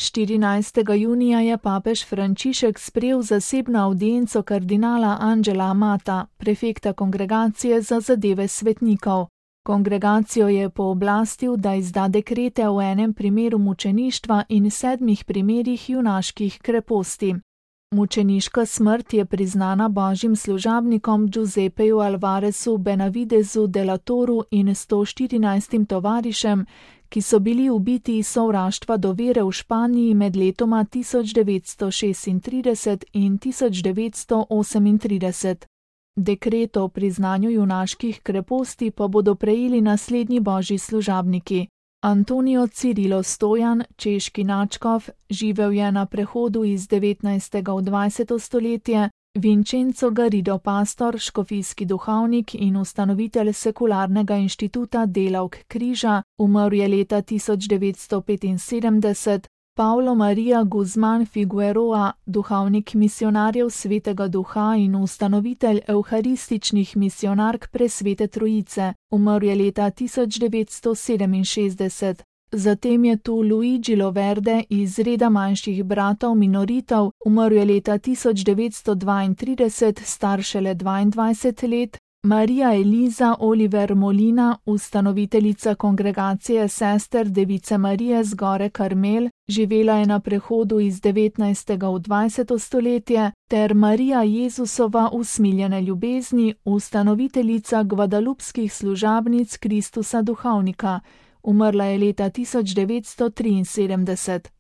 14. junija je papež Frančišek sprejel zasebno avdienco kardinala Angela Amata, prefekta Kongregacije za zadeve svetnikov. Kongregacijo je pooblastil, da izda dekrete v enem primeru mučeništva in 7 primerih junaških kreposti. Mučeniška smrt je priznana božjim služabnikom Giuseppeju Alvarezu Benavidezu de la Toru in 114 tovarišem, ki so bili ubiti iz sovraštva do vere v Španiji med letoma 1936 in 1938. Dekret o priznanju junaških kreposti pa bodo prejeli naslednji božji služabniki. Antonio Cirilo Stojan, češki nadškof, živel je na prehodu iz 19. v 20. stoletje, Vincenzo Garrido pastor, škofijski duhovnik in ustanovitelj sekularnega inštituta Delavk križa, umrl je leta 1975, Paulo Maria Guzman Figueroa, duhovnik misionarjev Svetega Duha in ustanovitelj evharističnih misionark Presvete Trojice, umrl je leta 1967. Zatem je tu Luigi Loverde iz reda manjših bratov minoritov, umrl je leta 1932, star šele 22 let, Marija Eliza Oliver Molina, ustanoviteljica kongregacije sester Device Marije z gore Karmel, živela je na prehodu iz 19. v 20. stoletje, ter Marija Jezusova usmiljene ljubezni, ustanoviteljica gvadalupskih služabnic Kristusa duhovnika. Umrla je leta 1973.